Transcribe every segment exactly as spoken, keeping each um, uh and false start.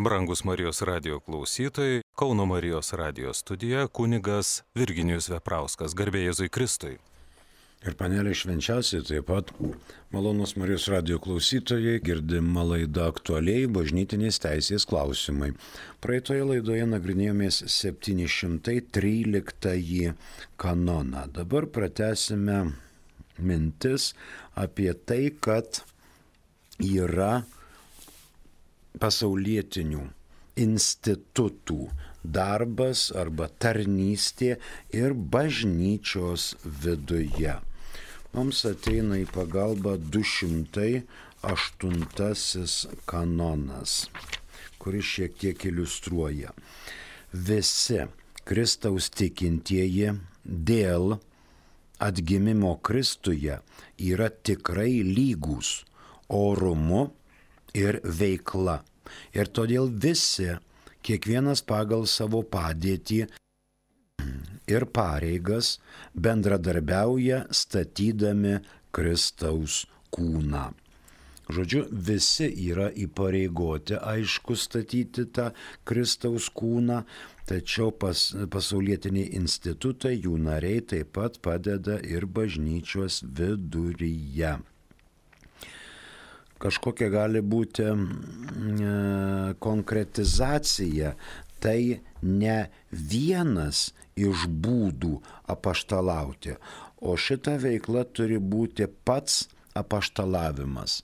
Brangus Marijos radijo klausytojai, Kauno Marijos radijo studija kunigas Virginijus Veprauskas, garbė Jėzui Kristui. Ir panelė švenčiausiai taip pat malonus Marijos radijo klausytojai, girdima laida aktualiai bažnytinės teisės klausimai. Praeitoje laidoje nagrinėjomės septyni šimtai tryliktąjį kanoną. Dabar pratęsime mintis apie tai, kad yra pasaulietinių institutų darbas arba tarnystė ir bažnyčios viduje. Mums ateina į pagalbą du šimtai aštuntasis kanonas, kuris šiek tiek iliustruoja. Visi Kristaus tikintieji dėl atgimimo Kristuje yra tikrai lygūs orumu ir veikla. Ir todėl visi, kiekvienas pagal savo padėtį ir pareigas, bendradarbiauja statydami Kristaus kūną. Žodžiu, visi yra įpareigoti, aišku, statyti tą Kristaus kūną, tačiau pas, pasaulietiniai institutai, jų nariai taip pat padeda ir bažnyčios viduryje. Kažkokia gali būti e, konkretizacija, tai ne vienas iš būdų apaštalauti, o šita veikla turi būti pats apaštalavimas,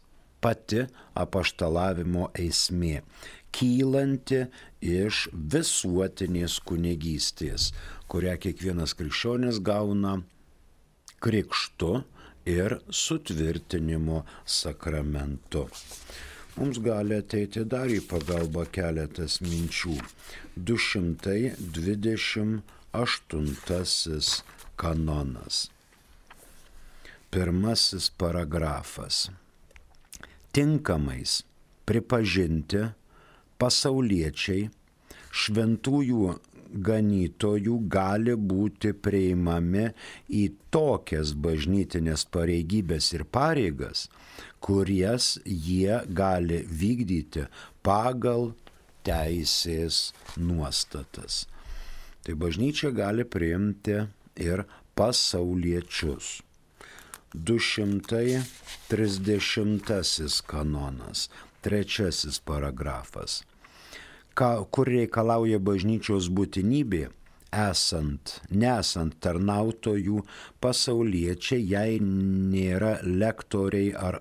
pati apaštalavimo esmė, kylanti iš visuotinės kunigystės, kurią kiekvienas krikščionis gauna krikštu ir sutvirtinimo sakramentu. Mums gali ateiti dar į pagalbą keletas minčių. du šimtai dvidešimt aštuntasis kanonas. Pirmasis paragrafas. Tinkamais pripažinti pasauliečiai šventųjų ganytojų gali būti priimami į tokias bažnytinės pareigybės ir pareigas, kurias jie gali vykdyti pagal teisės nuostatas. Tai bažnyčia gali priimti ir pasauliečius. du šimtai trisdešimtasis kanonas, trečiasis paragrafas. Ka, kur reikalauja bažnyčios būtinybė, esant, nesant tarnautojų pasauliečiai, jei nėra lektoriai ar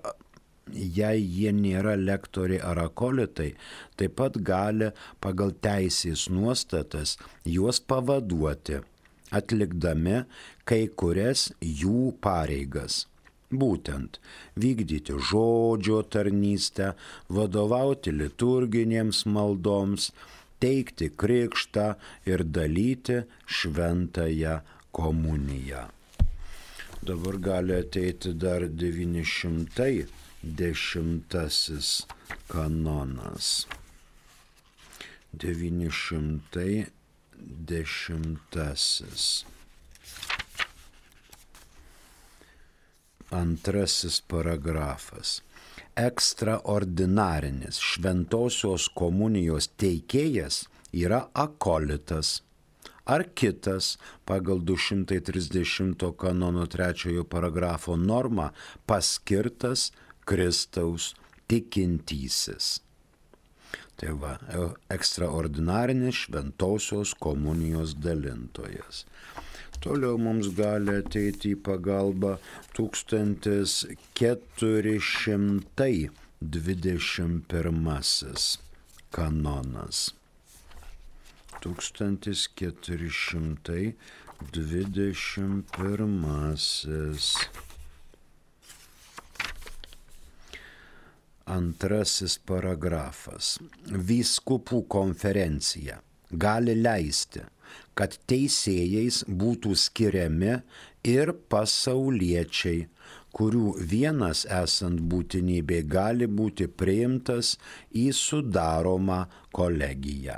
jei jie nėra lektoriai ar akolitai, taip pat gali pagal teisės nuostatas juos pavaduoti, atlikdami kai kurias jų pareigas. Būtent vykdyti žodžio tarnystę, vadovauti liturginėms maldoms, teikti krikštą ir dalyti šventąją komuniją. Dabar gali ateiti dar devyni šimtai dešimtasis kanonas. devyni šimtai dešimtasis. Antrasis paragrafas. Ekstraordinarinis šventosios komunijos teikėjas yra akolitas ar kitas pagal du šimtai trisdešimto kanono trečiojo paragrafo normą paskirtas Kristaus tikintysis. Tai va, ekstraordinarinis šventosios komunijos dalintojas. Toliau mums gali ateiti į pagalbą tūkstantis keturi šimtai dvidešimt pirmasis kanonas. tūkstantis keturi šimtai dvidešimt pirmasis. Antrasis paragrafas. Vyskupų konferencija gali leisti, kad teisėjais būtų skiriami ir pasauliečiai, kurių vienas esant būtinybė gali būti priimtas į sudaromą kolegiją.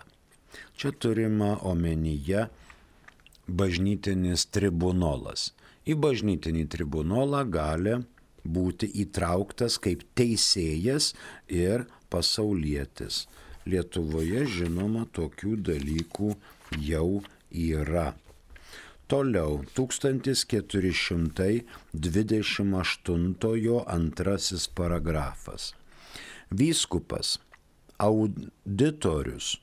Čia turima omenyje bažnytinis tribunolas. Į bažnytinį tribunolą gali būti įtrauktas kaip teisėjas ir pasaulietis. Lietuvoje, žinoma, tokių dalykų jau yra. Toliau, tūkstantis keturi šimtai dvidešimt aštuntojo antrasis paragrafas. Vyskupas, auditorius,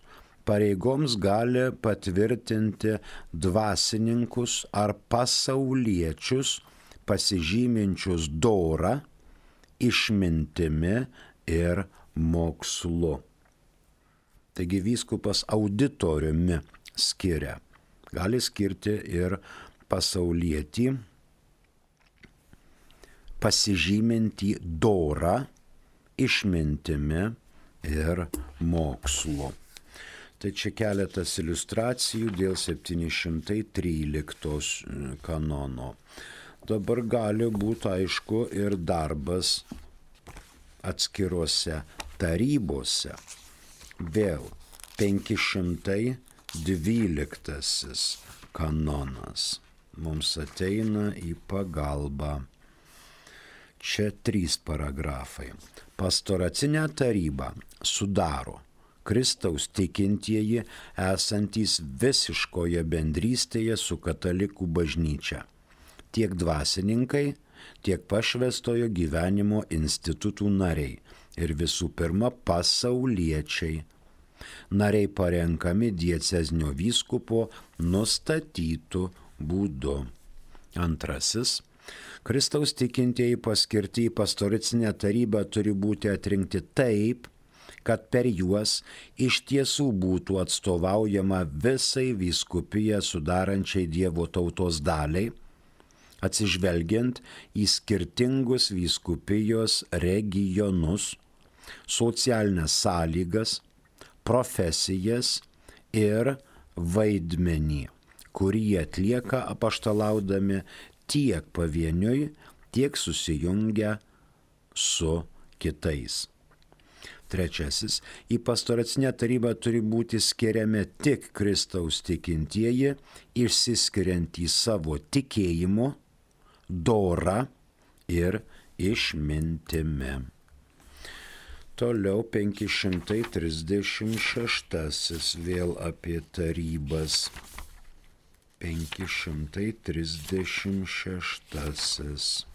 pareigoms gali patvirtinti dvasininkus ar pasauliečius pasižyminčius dorą, išmintimi ir mokslu. Taigi vyskupas auditoriumi skiria. Gali skirti ir pasaulietį, pasižymintį dorą, išmintimi ir mokslu. Tai čia keletas iliustracijų dėl septyni šimtai tryliktos kanono. Dabar gali būti, aišku, ir darbas atskiruose tarybose. Vėl penki šimtai dvyliktasis kanonas mums ateina į pagalbą. Čia trys paragrafai. Pastoracinę tarybą sudaro Kristaus tikintieji esantys visiškoje bendrystėje su katalikų bažnyčia. Tiek dvasininkai, tiek pašvęstojo gyvenimo institutų nariai ir visų pirma pasauliečiai. Nariai parenkami diecezinio vyskupo nustatytų būdu. Antrasis. Kristaus tikintieji paskirti į pastoracinę tarybą turi būti atrinkti taip, kad per juos iš tiesų būtų atstovaujama visai vyskupiją sudarančiai Dievo tautos daliai, atsižvelgiant į skirtingus vyskupijos regionus, socialinės sąlygas, profesijas ir vaidmenį, kurį jie atlieka apaštalaudami tiek pavieniui, tiek susijungę su kitais. Trečiasis, į pastoracinę tarybą turi būti skiriami tik Kristaus tikintieji, išsiskiriantys savo tikėjimu, dora ir išmintimi. Toliau penki šimtai trisdešimt šeštasis vėl apie tarybas. penki šimtai trisdešimt šeštasis.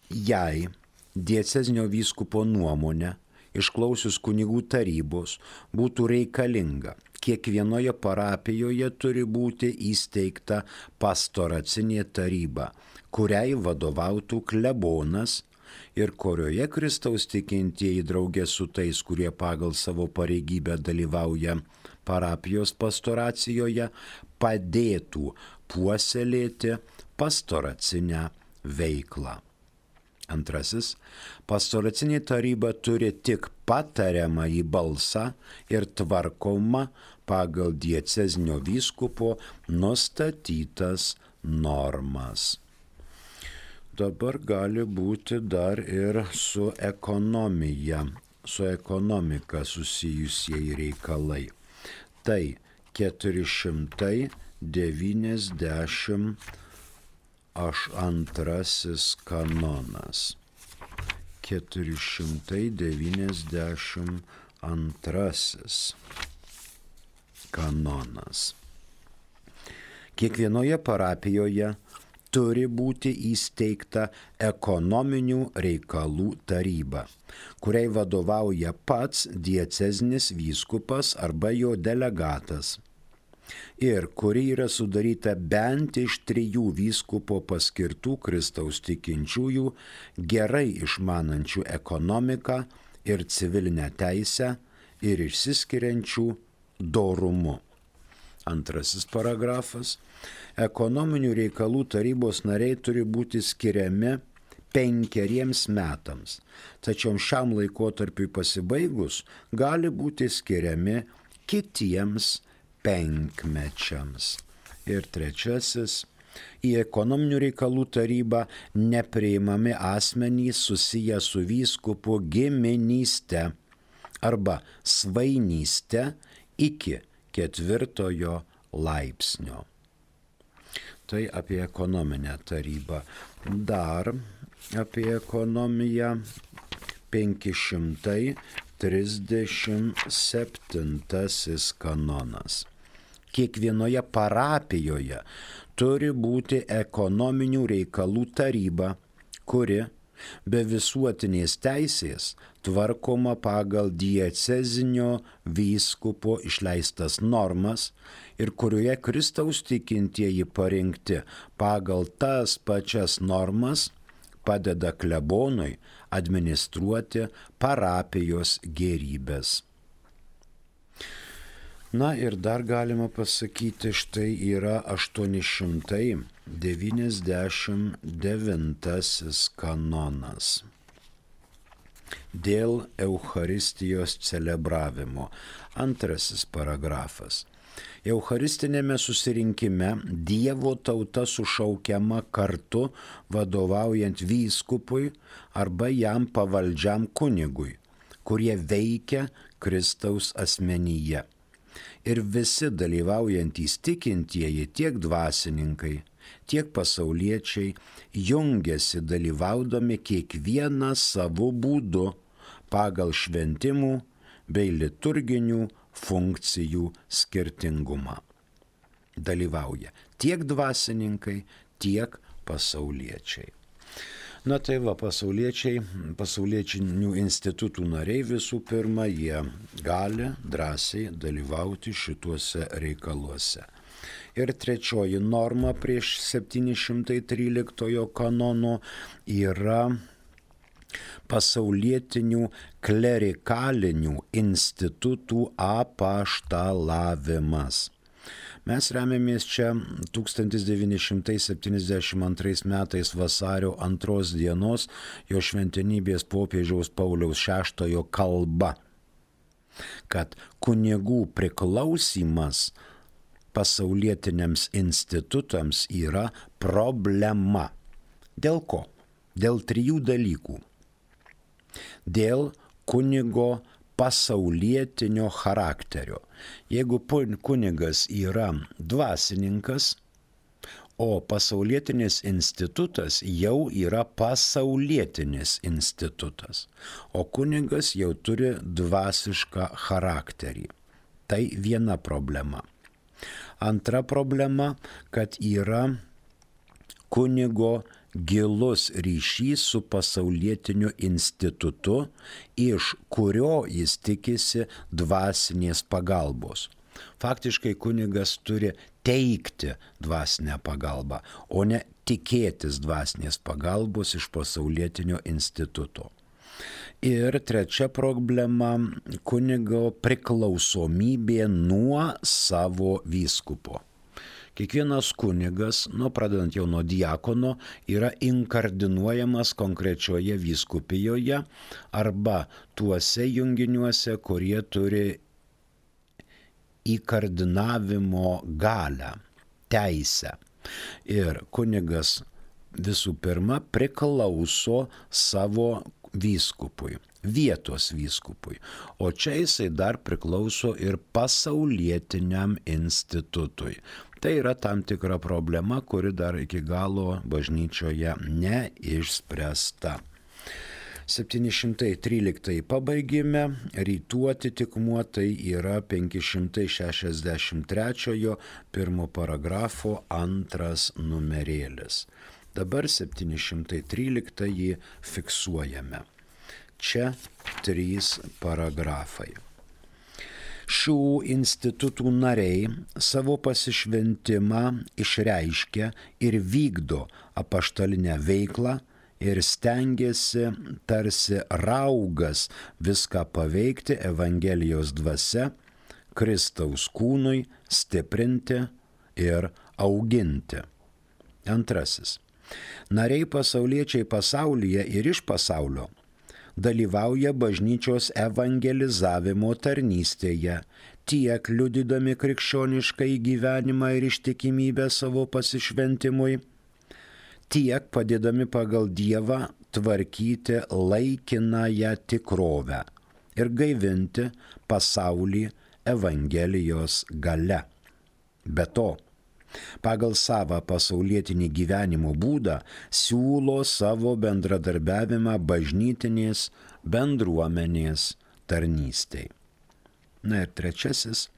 Jei diecezinio vyskupo nuomonė, išklausius kunigų tarybos, būtų reikalinga, kiekvienoje parapijoje turi būti įsteigta pastoracinė taryba, kuriai vadovautų klebonas ir kurioje Kristaus tikintieji draugė su tais, kurie pagal savo pareigybę dalyvauja parapijos pastoracijoje, padėtų puoselėti pastoracinę veiklą. Antrasis, pastoracinė taryba turi tik patariamąjį balsą ir tvarkomą pagal diecezinio vyskupo nustatytas normas. Dabar gali būti dar ir su ekonomija, su ekonomika susijusieji reikalai. Tai keturi šimtai devyniasdešimt antrasis kanonas. keturi šimtai devyniasdešimt antrasis kanonas. Kiekvienoje parapijoje turi būti įsteigta ekonominių reikalų taryba, kuriai vadovauja pats diecezinis vyskupas arba jo delegatas, ir kuri yra sudaryta bent iš trijų vyskupo paskirtų Kristaus tikinčiųjų, gerai išmanančių ekonomiką ir civilinę teisę ir išsiskiriančių dorumu. Antrasis paragrafas. Ekonominių reikalų tarybos nariai turi būti skiriami penkeriems metams, tačiau šiam laikotarpiui pasibaigus gali būti skiriami kitiems penkmečiams. Ir trečiasis, į ekonominių reikalų tarybą nepriimami asmenys susiję su vyskupu giminyste arba svainyste iki ketvirtojo laipsnio. Tai apie ekonominę tarybą. Dar apie ekonomiją penki šimtai trisdešimt septintasis kanonas. Kiekvienoje parapijoje turi būti ekonominių reikalų taryba, kuri be visuotinės teisės tvarkoma pagal diecezinio vyskupo išleistas normas ir kurioje Kristaus tikintieji parinkti pagal tas pačias normas padeda klebonui administruoti parapijos gėrybės. Na ir dar galima pasakyti, štai yra aštuoni šimtai devyniasdešimt devintasis kanonas. Dėl Eucharistijos celebravimo. Antrasis paragrafas. Eucharistinėme susirinkime Dievo tauta sušaukiama kartu vadovaujant vyskupui arba jam pavaldžiam kunigui, kurie veikia Kristaus asmenyje. Ir visi dalyvaujantys tikintieji, tiek dvasininkai, tiek pasauliečiai, jungiasi dalyvaudami kiekvienas savo būdu pagal šventimų bei liturginių funkcijų skirtingumą. Dalyvauja tiek dvasininkai, tiek pasauliečiai. Na tai va, pasauliečiai, pasauliečinių institutų nariai visų pirma, jie gali drąsiai dalyvauti šituose reikaluose. Ir trečioji norma prieš septyni šimtai tryliktojo kanono yra pasaulietinių klerikalinių institutų apaštalavimas. Mes remiamės čia tūkstantis devyni šimtai septyniasdešimt antrais metais vasario antros dienos jo šventenybės popiežiaus Pauliaus šeštojo kalba, kad kunigų priklausymas pasaulietiniams institutams yra problema. Dėl ko? Dėl trijų dalykų. Dėl kunigo pasaulietinio charakterio. Jeigu kunigas yra dvasininkas, o pasaulietinis institutas jau yra pasaulietinis institutas, o kunigas jau turi dvasišką charakterį. Tai viena problema. Antra problema, kad yra kunigo gilus ryšys su pasaulietiniu institutu, iš kurio jis tikisi dvasinės pagalbos. Faktiškai kunigas turi teikti dvasinę pagalbą, o ne tikėtis dvasinės pagalbos iš pasaulietinio instituto. Ir trečia problema - kunigo priklausomybė nuo savo vyskupo. Kiekvienas kunigas, nu pradedant jau nuo diakono, yra inkardinuojamas konkrečioje vyskupijoje arba tuose junginiuose, kurie turi įkardinavimo galią, teisę. Ir kunigas visų pirma priklauso savo vyskupui, vietos vyskupui, o čia jisai dar priklauso ir pasaulietiniam institutui. Tai yra tam tikra problema, kuri dar iki galo bažnyčioje neišspręsta. septyni šimtai tryliktąjį pabaigime, rytų atitikmuo tai yra penki šimtai šešiasdešimt trečiojo pirmo paragrafo antras numerėlis. Dabar septyni šimtai tryliktąjį fiksuojame. Čia trys paragrafai. Šių institutų nariai savo pasišventimą išreiškia ir vykdo apaštalinę veiklą ir stengiasi tarsi raugas viską paveikti Evangelijos dvasia, Kristaus kūnui stiprinti ir auginti. Antrasis. Nariai pasauliečiai pasaulyje ir iš pasaulio dalyvauja bažnyčios evangelizavimo tarnystėje, tiek liudydami krikščionišką gyvenimą ir ištikimybę savo pasišventimui, tiek padėdami pagal Dievą tvarkyti laikinąją tikrovę ir gaivinti pasaulį Evangelijos galia. Be to, pagal savo pasaulietinį gyvenimo būdą siūlo savo bendradarbiavimą bažnytinės bendruomenės tarnystei. Na ir trečiasis,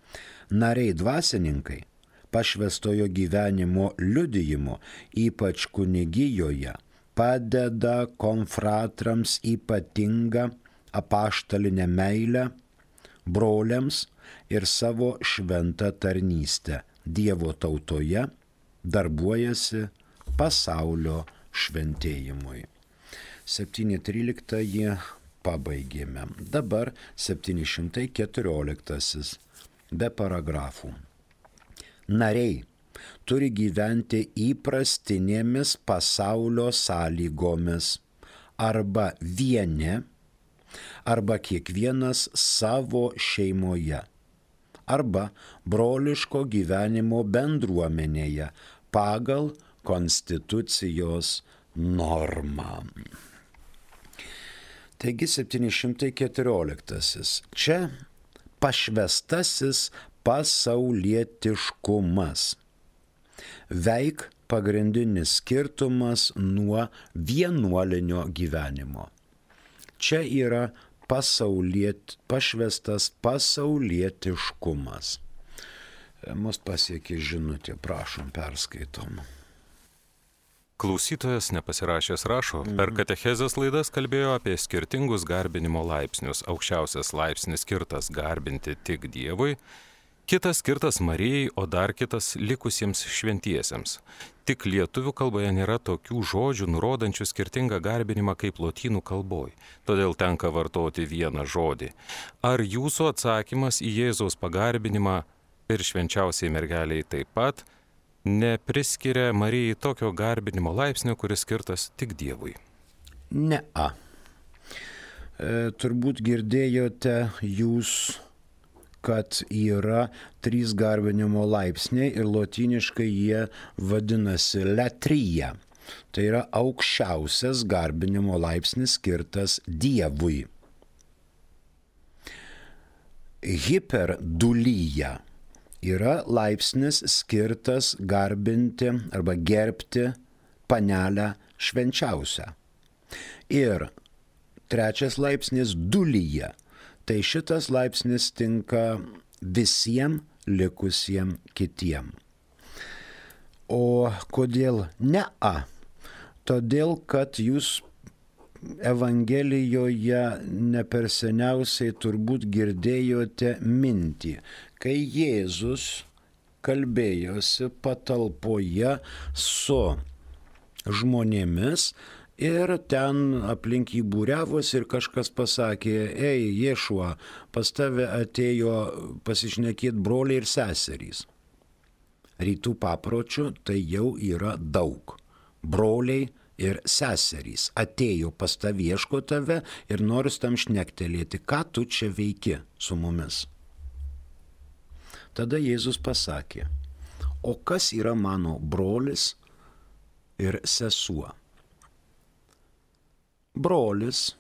nariai dvasininkai pašvęstojo gyvenimo liudijimu, ypač kunigijoje, padeda konfratrams ypatingą apaštalinę meilę, broliams ir savo šventą tarnystę Dievo tautoje, darbuojasi pasaulio šventėjimui. septyni trylikta pabaigėme. Dabar septyni šimtai keturioliktasis be paragrafų. Nariai turi gyventi įprastinėmis pasaulio sąlygomis arba vieni, arba kiekvienas savo šeimoje, arba broliško gyvenimo bendruomenėje pagal konstitucijos normą. Taigi septyni šimtai keturioliktasis. Čia pašvęstasis pasaulietiškumas. Veik pagrindinis skirtumas nuo vienuolinio gyvenimo. Čia yra pasauliet, pašvęstas pasaulietiškumas. Mus pasiekė žinutė, prašom, perskaitom. Klausytojas nepasirašęs rašo, per katechezės laidas kalbėjo apie skirtingus garbinimo laipsnius. Aukščiausias laipsnis skirtas garbinti tik Dievui, kitas skirtas Marijai, o dar kitas likusiems šventiesiems. Tik lietuvių kalboje nėra tokių žodžių nurodančių skirtingą garbinimą kaip lotynų kalboj, todėl tenka vartoti vieną žodį. Ar jūsų atsakymas į Jėzaus pagarbinimą ir švenčiausiai mergeliai taip pat nepriskiria Marijai tokio garbinimo laipsnio, kuris skirtas tik Dievui? Ne-a. E, turbūt girdėjote jūs, kad yra trys garbinimo laipsniai ir lotyniškai jie vadinasi latria. Tai yra aukščiausias garbinimo laipsnis skirtas Dievui. Hiperdulyja yra laipsnis skirtas garbinti arba gerbti panelę švenčiausią. Ir trečias laipsnis dulyja. Tai šitas laipsnis tinka visiems likusiems kitiem. O kodėl ne-a? Todėl, kad jūs Evangelijoje ne per seniausiai turbūt girdėjote mintį, kai Jėzus kalbėjosi patalpoje su žmonėmis ir ten aplink jį būriavos ir kažkas pasakė, ei, Ješua, pas tave atėjo pasišnekėti broliai ir seserys. Rytų papročių tai jau yra daug. Broliai ir seserys atėjo pas tave, ieško tave ir nori tam šnektelėti, ką tu čia veiki su mumis. Tada Jėzus pasakė, o kas yra mano brolis ir sesuo? Brolis,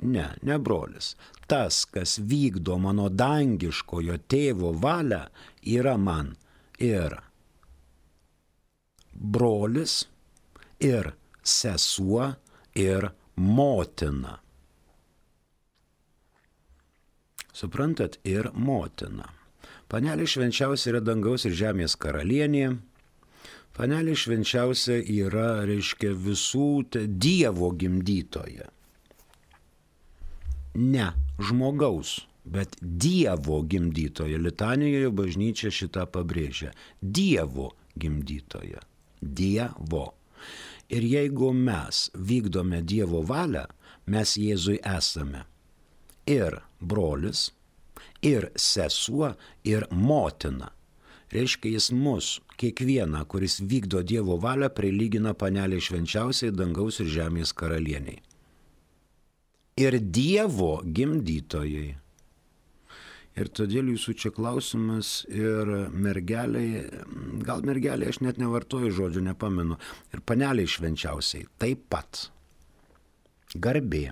ne, ne brolis, tas, kas vykdo mano dangiškojo tėvo valią, yra man ir brolis, ir sesuo, ir motina. Suprantat, ir motina. Panelė švenčiausia yra dangaus ir žemės karalienė. Panelė švenčiausia yra, reiškia, visų Dievo gimdytoja. Ne žmogaus, bet Dievo gimdytoja. Litanijoje bažnyčia šitą pabrėžia. Dievo gimdytoja. Dievo. Ir jeigu mes vykdome Dievo valią, mes Jėzui esame ir brolis, ir sesuo, ir motina. Reiškia, jis mus, kiekvieną, kuris vykdo Dievo valią, prilygina panelė švenčiausiai dangaus ir žemės karalieniai. Ir Dievo gimdytojai. Ir todėl jūsų čia klausimas ir mergeliai, gal mergeliai, aš net nevartoju žodžių, nepamenu, ir paneliai švenčiausiai taip pat. Garbė,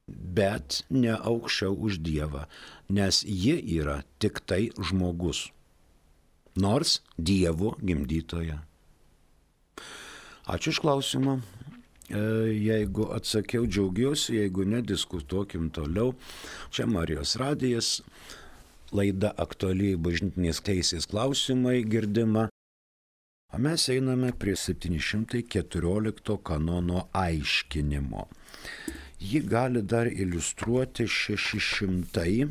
bet ne aukščiau už Dievą, nes ji yra tik tai žmogus. nors Dievo gimdytoje. Ačiū iš klausimą. Jeigu atsakiau, džiaugiuosi, jeigu ne, diskutuokim toliau. Čia Marijos radijas, laida aktuali bažnytinės teisės klausimai girdima. O mes einame prie septyni šimtai keturiolikto kanono aiškinimo. Jį gali dar iliustruoti šeši šimtai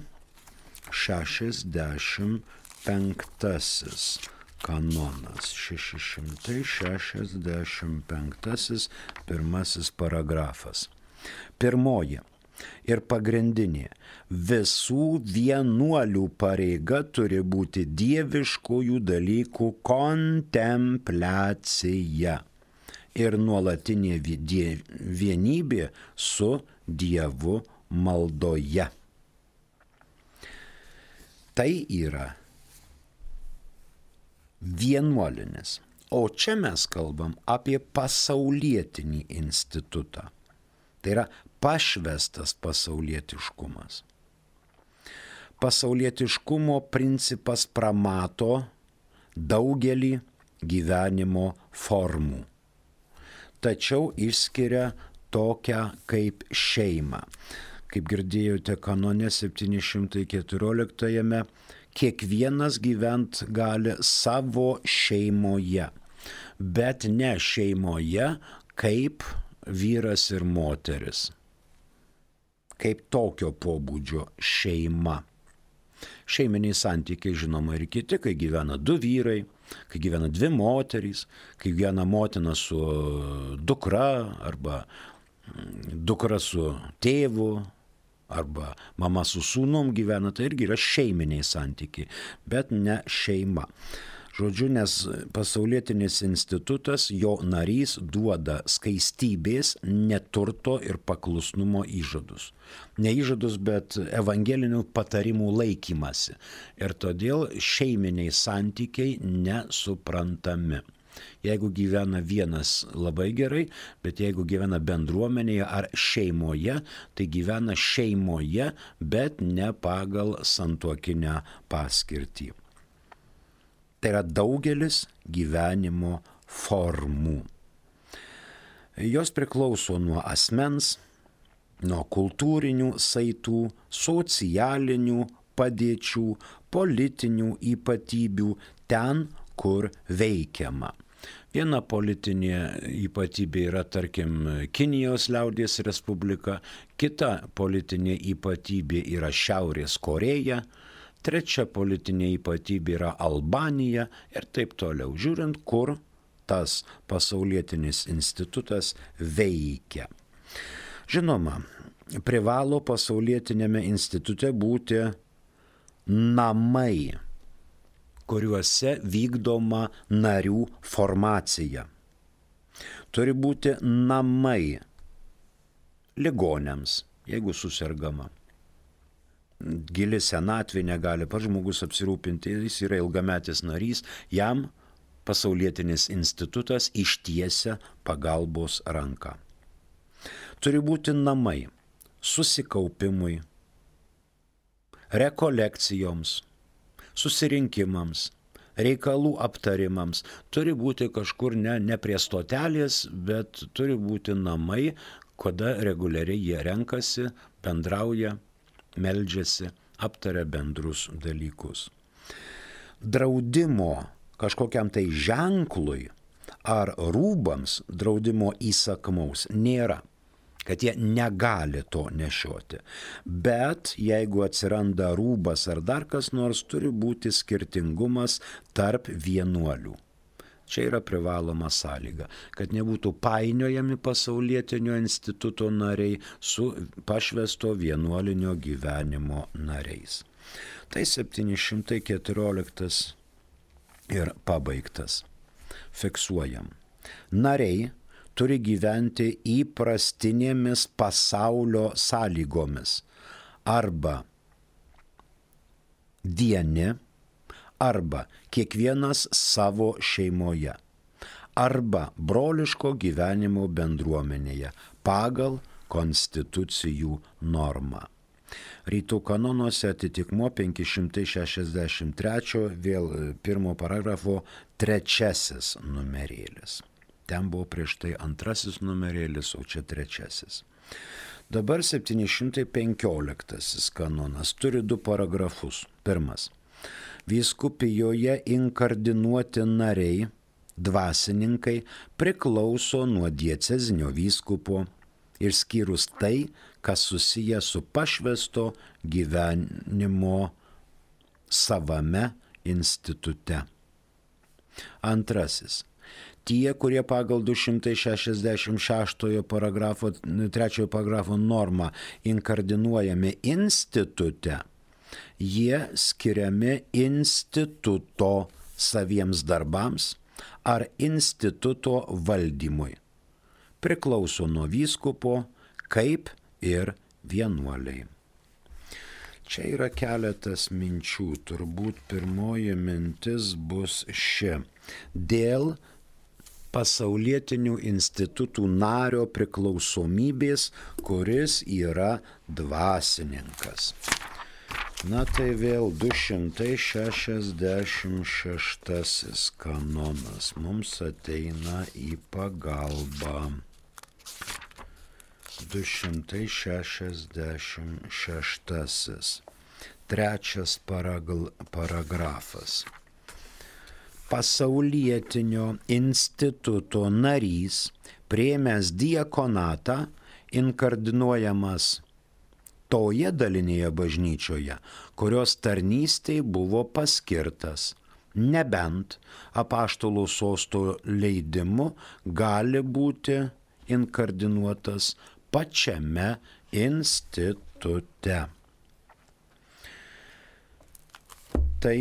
šešiasdešimt penktasis kanonas. šeši šimtai šešiasdešimt penktasis pirmasis paragrafas. Pirmoji ir pagrindinė. Visų vienuolių pareiga turi būti dieviškųjų dalykų kontempliacija ir nuolatinė vienybė su Dievu maldoje. Tai yra vienuolinis. O čia mes kalbam apie pasaulietinį institutą. Tai yra pašvestas pasaulietiškumas. Pasaulietiškumo principas pramato daugelį gyvenimo formų, tačiau išskiria tokią kaip šeimą. Kaip girdėjote kanone septyni šimtai keturioliktajame, kiekvienas gyvent gali savo šeimoje, bet ne šeimoje kaip vyras ir moteris, kaip tokio pobūdžio šeima. Šeiminiai santykiai žinoma ir kiti, kai gyvena du vyrai, kai gyvena dvi moterys, kai gyvena motina su dukra arba dukra su tėvu arba mama su sūnum gyvena, tai irgi yra šeiminiai santykiai, bet ne šeima. Žodžiu, nes pasaulietinis institutas, jo narys duoda skaistybės, neturto ir paklusnumo įžadus. Ne įžadus, bet evangelinių patarimų laikymasi. Ir todėl šeiminiai santykiai nesuprantami. Jeigu gyvena vienas labai gerai, bet jeigu gyvena bendruomenėje ar šeimoje, tai gyvena šeimoje, bet ne pagal santuokinę paskirtį. Tai yra daugelis gyvenimo formų. Jos priklauso nuo asmens, nuo kultūrinių saitų, socialinių padėčių, politinių ypatybių ten, kur veikiama. Viena politinė ypatybė yra, tarkim, Kinijos liaudies respublika, kita politinė ypatybė yra Šiaurės Koreja, trečia politinė ypatybė yra Albanija ir taip toliau, žiūrint, kur tas pasaulietinis institutas veikia. Žinoma, privalo pasaulietinėme institute būti namai, kuriuose vykdoma narių formacija. Turi būti namai ligoniams, jeigu susirgama. Gili senatvė negali pats žmogus apsirūpinti, jis yra ilgametis narys, jam pasaulietinis institutas ištiesia pagalbos ranką. Turi būti namai susikaupimui, rekolekcijoms, susirinkimams, reikalų aptarimams. Turi būti kažkur ne, ne prie stotelės, bet turi būti namai, kada reguliariai jie renkasi, bendrauja, meldžiasi, aptaria bendrus dalykus. Draudimo kažkokiam tai ženklui ar rūbams draudimo įsakmaus nėra, kad jie negali to nešioti. Bet jeigu atsiranda rūbas ar dar kas nors, turi būti skirtingumas tarp vienuolių. Čia yra privaloma sąlyga, kad nebūtų painiojami pasaulietinio instituto nariai su pašvesto vienuolinio gyvenimo nariais. Tai septyni šimtai keturioliktas ir pabaigtas. Fiksuojam. Nariai turi gyventi įprastinėmis pasaulio sąlygomis arba vieni, arba kiekvienas savo šeimoje, arba broliško gyvenimo bendruomenėje pagal konstitucijų normą. Rytų kanonuose atitikmuo penki šimtai šešiasdešimt trečio, vėl pirmo paragrafo trečiasis numerėlis. Ten buvo prieš tai antrasis numerėlis, o čia trečiasis. Dabar septyni šimtai penkioliktasis kanonas turi du paragrafus. Pirmas. Vyskupijoje inkardinuoti nariai, dvasininkai, priklauso nuo diecezinio vyskupo, išskyrus tai, kas susiję su pašvęsto gyvenimo savame institute. Antrasis. Tie, kurie pagal du šimtai šešiasdešimt šeštojo paragrafo, trečiojo paragrafo normą inkardinuojami institute, jie skiriami instituto saviems darbams ar instituto valdymui. Priklauso nuo vyskupo, kaip ir vienuoliai. Čia yra keletas minčių. Turbūt pirmoji mintis bus ši. Dėl pasaulietinių institutų nario priklausomybės, kuris yra dvasininkas. Na tai vėl du šimtai šešiasdešimt šeštasis kanonas mums ateina į pagalbą. du šimtai šešiasdešimt šeštasis. Trečias paragl- paragrafas. Pasaulietinio instituto narys, priėmęs diakonatą, inkardinuojamas toje dalinėje bažnyčioje, kurios tarnystei buvo paskirtas, nebent apaštalų sosto leidimu gali būti inkardinuotas pačiame institute. Tai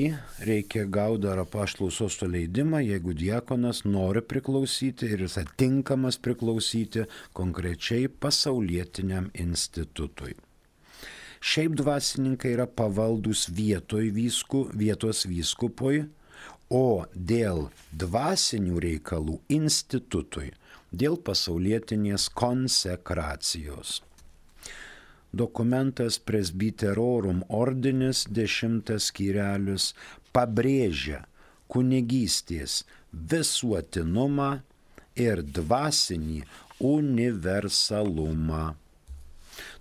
reikia gauti dar apaštalų sosto leidimą, jeigu diakonas nori priklausyti ir jis atinkamas priklausyti konkrečiai pasaulietiniam institutui. Šiaip dvasininkai yra pavaldus vietoj vysku, vietos vyskupui, o dėl dvasinių reikalų institutui, dėl pasaulietinės konsekracijos. Dokumentas Presbyterorum Ordinis, dešimtas skyrelis, pabrėžia kunigystės visuotinumą ir dvasinį universalumą.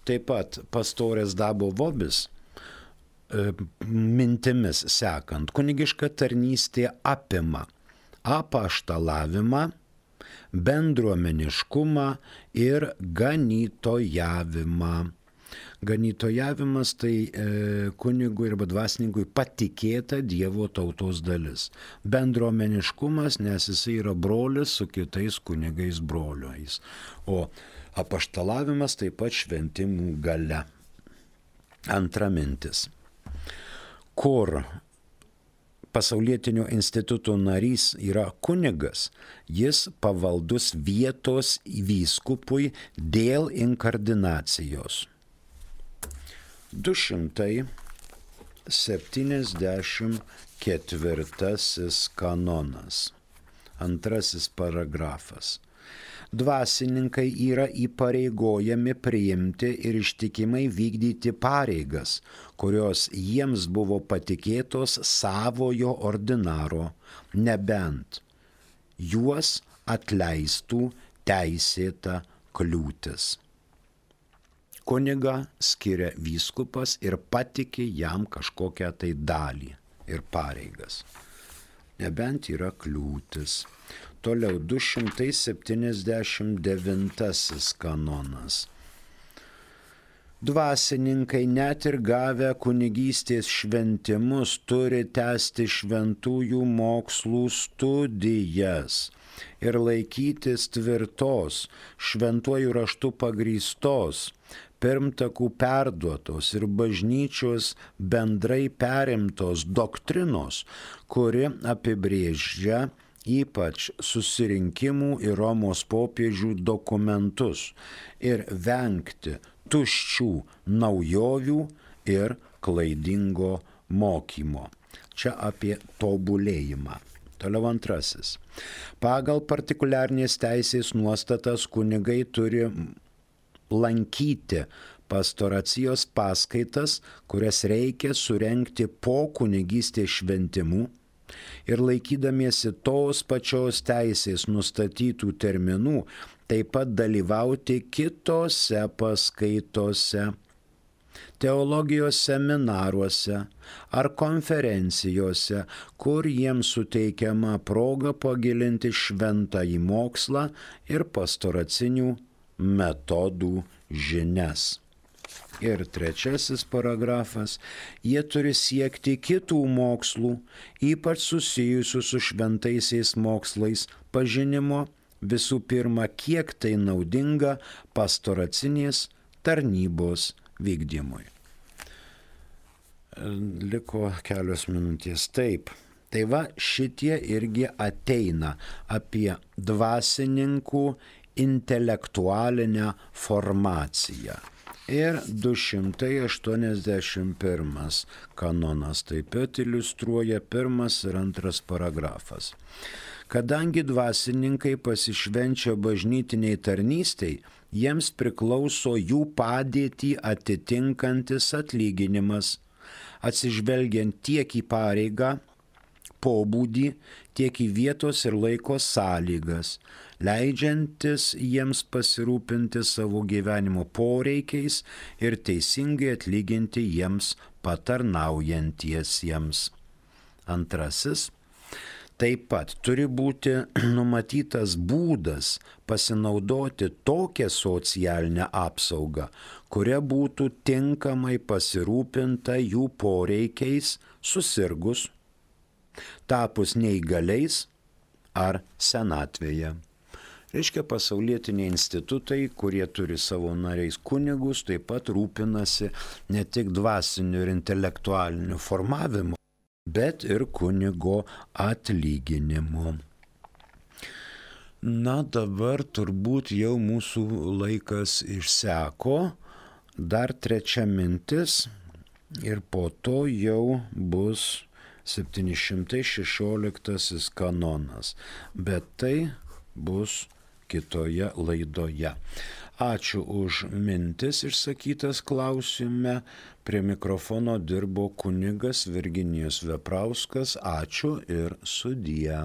Taip pat pastorės Dabo Vobis e, mintimis sekant, kunigiška tarnystė apima apaštalavimą, bendruomeniškumą ir ganytojavimą. Ganytojavimas tai e, kunigui arba dvasininkui patikėta Dievo tautos dalis. Bendruomeniškumas, nes jisai yra brolis su kitais kunigais broliais. O apaštalavimas taip pat šventimų galia. Antra mintis. Kur pasaulietinio instituto narys yra kunigas, jis pavaldus vietos vyskupui dėl inkardinacijos. du šimtai septyniasdešimt ketvirtasis kanonas. Antrasis paragrafas. Dvasininkai yra įpareigojami priimti ir ištikimai vykdyti pareigas, kurios jiems buvo patikėtos savojo ordinaro, nebent juos atleistų teisėta kliūtis. Kunigą skiria vyskupas ir patikė jam kažkokią tai dalį ir pareigas, nebent yra kliūtis. Toliau du šimtai septyniasdešimt devintasis kanonas. Dvasininkai net ir gavę kunigystės šventimus turi tęsti šventųjų mokslų studijas ir laikytis tvirtos, šventuoju raštu pagrįstos, pirmtakų perduotos ir bažnyčios bendrai perimtos doktrinos, kuri apibrėžia ypač susirinkimų ir Romos popiežių dokumentus ir vengti tuščių naujovių ir klaidingo mokymo. Čia apie tobulėjimą. Toliau antrasis. Pagal partikuliarnės teisės nuostatas kunigai turi lankyti pastoracijos paskaitas, kurias reikia surenkti po kunigystės šventimų ir laikydamiesi tos pačios teisės nustatytų terminų, taip pat dalyvauti kitose paskaitose, teologijos seminaruose ar konferencijose, kur jiems suteikiama proga pagilinti šventąjį mokslą ir pastoracinių metodų žinias. Ir trečiasis paragrafas, jie turi siekti kitų mokslų, ypač susijusių su šventaisiais mokslais pažinimo, visų pirma, kiek tai naudinga pastoracinės tarnybos vykdymui. Liko kelios minutės. Taip, tai va šitie irgi ateina apie dvasininkų intelektualinę formaciją. Ir du šimtai aštuoniasdešimt pirmas kanonas taip pat iliustruoja pirmas ir antras paragrafas. Kadangi dvasininkai pasišvenčia bažnytiniai tarnystei, jiems priklauso jų padėtį atitinkantis atlyginimas, atsižvelgiant tiek į pareigą, pobūdį, tiek į vietos ir laiko sąlygas, leidžiantis jiems pasirūpinti savo gyvenimo poreikiais ir teisingai atlyginti jiems patarnaujantiesiems. Antrasis. Taip pat turi būti numatytas būdas pasinaudoti tokią socialinę apsaugą, kuria būtų tinkamai pasirūpinta jų poreikiais susirgus, tapus neįgaliais ar senatvėje. Reiškia, pasaulietiniai institutai, kurie turi savo nariais kunigus, taip pat rūpinasi ne tik dvasiniu ir intelektualiniu formavimu, bet ir kunigo atlyginimu. Na, dabar turbūt jau mūsų laikas išseko. Dar trečia mintis ir po to jau bus septyni šimtai šešioliktasis kanonas. Bet tai bus kitoje laidoje. Ačiū už mintis išsakytas klausime. Prie mikrofono dirbo kunigas Virginijus Veprauskas. Ačiū ir sudie.